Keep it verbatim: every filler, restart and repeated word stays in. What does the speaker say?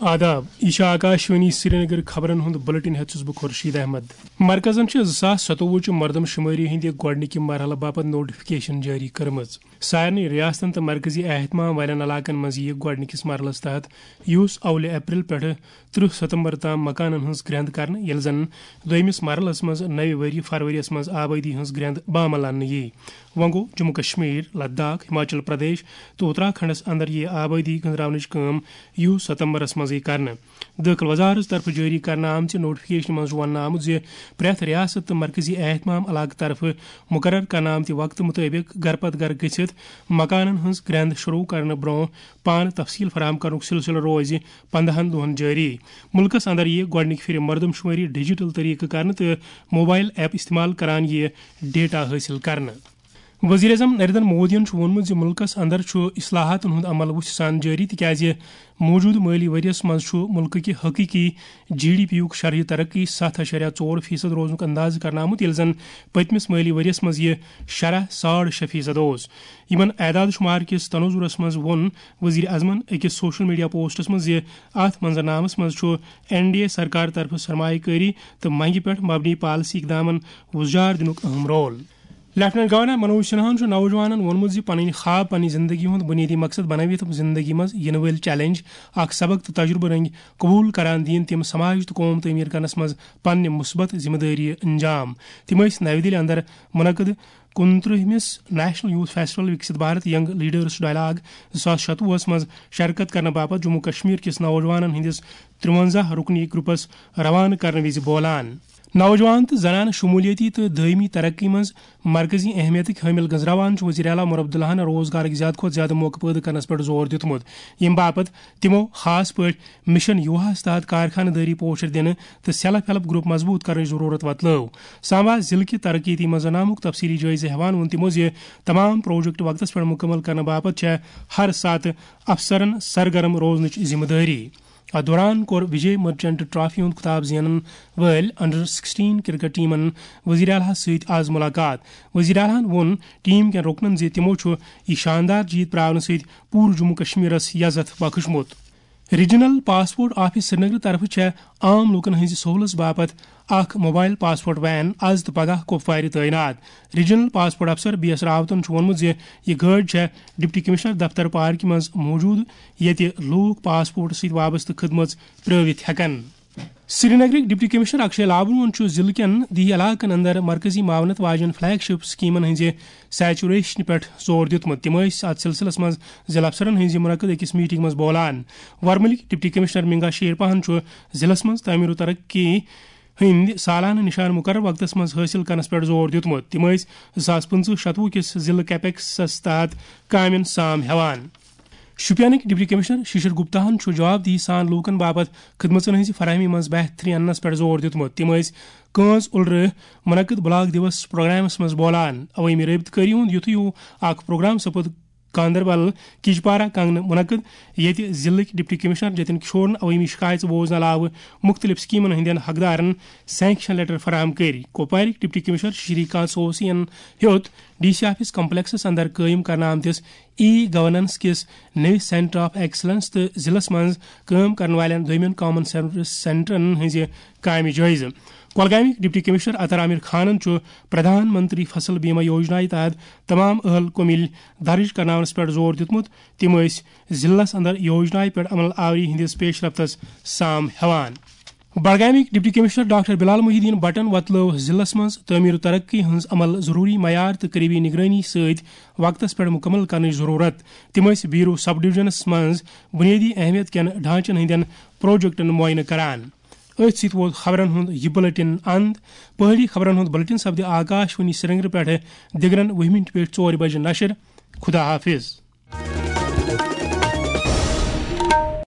آداب، یہِ چھِ آکاشوانی سرینگر۔ خبرن ہُنٛد بُلٹن ہٮ۪تھ چھُس بہٕ خورشید احمد۔ مرکزن چھِ زٕ ساس ستووُہ چہِ مردم شُمٲری ہٕنٛدِ گۄڈٕنِکہِ مرحلہٕ باپتھ نوٹیفکیشن جٲری کٔرمٕژ۔ سارنٕے ریاستن تہٕ مرکزی اہتمام والٮ۪ن علاقن منٛز یِیہِ گۄڈٕنِکِس مرحلس تحت، یُس اولہِ اپریل پٮ۪ٹھٕ ترٕہ ستمبر تام مکانن ہٕنٛز گرٛٮ۪نٛد کرنہٕ، ییٚلہِ زن دوٚیمِس مرحلس منٛز نوِ ؤری فروریَس منٛز آبٲدی ہٕنٛز گرٛٮ۪نٛد بامل اننہٕ یِیہِ۔ وۄنۍ گوٚو، جموں کشمیر، لداخ، ہماچل پردیش تہٕ اتراکھنڈس اندر یِیہِ آبٲدی گٔنزراونٕچ کٲم یُس ستمبرس منٛزٕے کرنہٕ۔ دٲخل وزارت طرفہٕ جٲری کرنہٕ آمژِ نوٹیفکیشنہِ منٛز چھُ وننہٕ آمُت زِ پرٛٮ۪تھ ریاست تہٕ مرکزی اہتمام علاقہٕ طرفہٕ مقرر کرنہٕ آمتہِ وقتہٕ مُطٲبِق گرٕ پتہٕ گرٕ گٔژھِتھ مکانن ہٕنٛز گرٛٮ۪نٛد شروع کرنہٕ برٛونٛہہ پانہٕ تفصیل فراہم کرنُک سلسلہٕ روزِ پندہن دۄہن جٲری۔ مُلکس اندر یِیہِ گۄڈٕنِکہِ پھِرِ مردم شُمٲری ڈیجیٹل طریقہٕ کرنہٕ تہٕ موبائل ایپ استعمال کران یِیہِ ڈیٹا حٲصِل کرنہٕ۔ وزیر اعظم نریندر مودیَن چھُ ووٚنمُت زِ مُلکَس اندر چھُ اصلاحاتَن ہُنٛد عمل وُژھِ سان جٲری، تِکیازِ موٗجوٗدٕ مٲلی ؤریَس منٛز چھُ مُلکٕکہِ حقیٖقی جی ڈی پی یُک شرحہِ ترقی ستھ اعشاریہ ژور فیصد روزنُک اندازٕ کرنہٕ آمُت، ییٚلہِ زن پٔتمِس مٲلی ؤریَس منٛز یہِ شرح ساڑ شےٚ فیصد اوس۔ یِمن اعداد شُمار کِس تناظرس منٛز ووٚن وزیر اعظمَن أکِس سوشل میڈیا پوسٹَس منٛز زِ اَتھ منظرنامَس منٛز چھُ این ڈی اے سرکار طرفہٕ سرمایہ کٲری تہٕ منگہِ پٮ۪ٹھ مبنی پالیسی اقدامَن وُزجار دِنُک اہم رول۔ لیفٹیننٹ گورنر منوج سنہاہن چھُ نوجوانن ووٚنمُت زِ پنٕنۍ خواب پننہِ زندگی ہُنٛد بُنیٲدی مقصد بنٲوِتھ زندگی منٛز یِنہٕ وٲلۍ چیلنج اکھ سبق تہٕ تجربہٕ رٔنگۍ قبول کران دِیِن تِم سماج تہٕ قوم تعمیٖر کرنس منٛز پننہِ مثبت ذمہٕ دٲری انجام۔ تِم ٲسۍ نَوِ دِلہِ اندر منعقد کُنترٕہمِس national youth festival Viksit Bharat young leaders dialogue زٕ ساس شتوُہس منٛز شرکت کرنہٕ باپتھ جموں کشمیر کِس نوجوانن ہٕنٛدِس ترٛوَنزاہ رُکنی گروپس روانہٕ کرنہٕ وِزِ بولان۔ نوجوان تہٕ زنانہٕ شمولیتی تہٕ دٲیمی ترقی منٛز مرکزی اہمیتٕکۍ حٲمل گنزراوان چھُ وزیر اعلیٰ عمر عبداللہن روزگارٕکۍ زیادٕ کھۄتہٕ زیادٕ موقعہٕ پٲدٕ کرنس پٮ۪ٹھ زور دیُتمُت، ییٚمہِ باپتھ تِمو خاص پٲٹھۍ مشن یوہاہس تحت کارخانہٕ دٲری پوچھر دِنہٕ تہٕ سیلف ہیلپ گروپ مضبوط کرنٕچ ضرورت وتلٲو۔ سامبا ضلعہٕ کہِ ترقیتی منظرنامُک تفصیلی جٲیزٕ ہٮ۪وان ووٚن تِمو زِ تمام پروجیکٹ وقتس پٮ۪ٹھ مکمل کرنہٕ باپتھ چھےٚ ہر ساتہٕ افسرن سرگرم روزنٕچ ذمہٕ دٲری۔ اتھ دوران کوٚر وجے مرچنٹ ٹرافی ہُنٛد خطاب زینن وٲلۍ انڈر سکسٹین کرکٹ ٹیمن وزیر اعلیٰ سۭتۍ آز ملاقات۔ وزیر اعلیٰ ہن ووٚن ٹیم کٮ۪ن رُکنن زِ تِمو چھُ یہِ شاندار جیت پراونہٕ سۭتۍ پوٗرٕ جموں کشمیرس یزتھ بخشمُت۔ ریجنل پاسپورٹ آفس سرینگر طرفہٕ چھےٚ عام لوٗکن ہٕنٛزِ سہوٗلژ باپتھ اکھ موبائل پاسپورٹ وین از تہٕ پگاہ کۄپوارِ تعینات۔ ریجنل پاسپورٹ افسر بی ایس راوتن چھُ ووٚنمُت زِ یہِ گٲڑۍ چھےٚ ڈپٹی کمشنر دفتر پارکہِ منٛز موٗجوٗد، ییٚتہِ لوٗکھ پاسپورٹ سۭتۍ وابستہٕ خدمژ پرٲوِتھ ہٮ۪کن۔ سرینگرٕکۍ ڈپٹی کمشنر اکشے لابنون چھُ ضلعہٕ کٮ۪ن دیہی علاقن اندر مرکزی معاونت واجٮ۪ن فلیگ شپ سکیمن ہٕنٛزِ سیچوریشنہِ پٮ۪ٹھ زور دیُتمُت۔ تِم ٲسۍ اتھ سلسلس منٛز ضلع افسرن ہٕنٛزِ منعقد أکِس میٹنگ منٛز بولان۔ ورمُلٕکۍ ڈپٹی کمشنر منگا شیرپاہن چھُ ضلعس منٛز تعمیر و ترقی ہٕنٛدۍ سالانہٕ نِشان مُقرر وقتس منٛز حٲصِل کرنس پٮ۪ٹھ زور دیُتمُت۔ تِم ٲسۍ زٕ ساس پٕنٛژٕہ شتوُہ کِس ضلعہٕ کیپیکسس تحت کامٮ۪ن سام ہٮ۪وان۔ شوپینٕکۍ ڈپٹی کمشنر شیشر گپتاہن چھُ جوابدہی سان لوٗکن باپتھ خدمژن ہٕنٛزِ فراہمی منٛز بہتری اننس پٮ۪ٹھ زور دیُتمُت۔ تِم ٲسۍ کٲنٛز اُلرٕ منعقد بلاک دیوس پروگرامس منٛز بولان۔ عوٲمی رٲبطہٕ کٲری ہُنٛد یُتھُے ہیوٗ اکھ پروگرام سپُد گاندربل کجپارہ کنگنہٕ منعقد، ییٚتہِ ضلعٕکۍ ڈپٹی کمشنر جتن کشورن عوٲمی شکایژٕ بوزنہٕ علاوٕ مُختٔلِف سکیمن ہٕنٛدٮ۪ن حقدارن سینکشن لیٹر فراہم کٔرۍ۔ کۄپوارٕکۍ ڈپٹی کمشنر شری کانت سوسی ین ہیوٚت ڈی سی آفس کمپلیکسس اندر قٲیِم کرنہٕ آمتِس ای گورننس کِس نٔوِس سینٹر آف ایکسلنس تہٕ ضلعس منٛز کٲم کرن والٮ۪ن دوٚیمٮ۪ن کامن سروس سینٹرن ہٕنٛزِ کامہِ جٲیزٕ۔ کۄلگامٕکۍ ڈپٹی کمشنر عطر عامر خانن چھُ پردھان منتری فصل بیمہ یوجنا تحت تمام اہل کُمِل درج کرناونس پٮ۪ٹھ زور دیُتمُت۔ تِم ٲسۍ ضلعس اندر یوجنایہِ پٮ۪ٹھ عمل آوری ہٕنٛدِس پیش رفتس سام ہٮ۪وان۔ بڈگامٕکۍ ڈپٹی کمشنر ڈاکٹر بلال محی الدین بٹن وۄتلٲو ضلعس منٛز تعمیر و ترقی ہٕنٛز عمل ضروری معیار تہٕ قریبی نگرٲنی سۭتۍ وقتس پٮ۪ٹھ مکمل کرنٕچ ضرورت۔ تِم ٲسۍ بیرو سب ڈویژنس منٛز بنیٲدی اہمیت کٮ۪ن ڈھانچن ہٕنٛدٮ۪ن پروجیکٹن معائنہٕ کران۔ أتھۍ سۭتۍ ووت خبرن ہُنٛد یہِ بُلٹن اند۔ پہٲڑی خبرن ہُنٛد بُلٹن سپدِ آکاشوانی سرینگر پٮ۪ٹھ دِگرن وُہہِ مِنٹہِ پٮ۪ٹھ ژورِ بجہِ نشر۔ خدا حافظ۔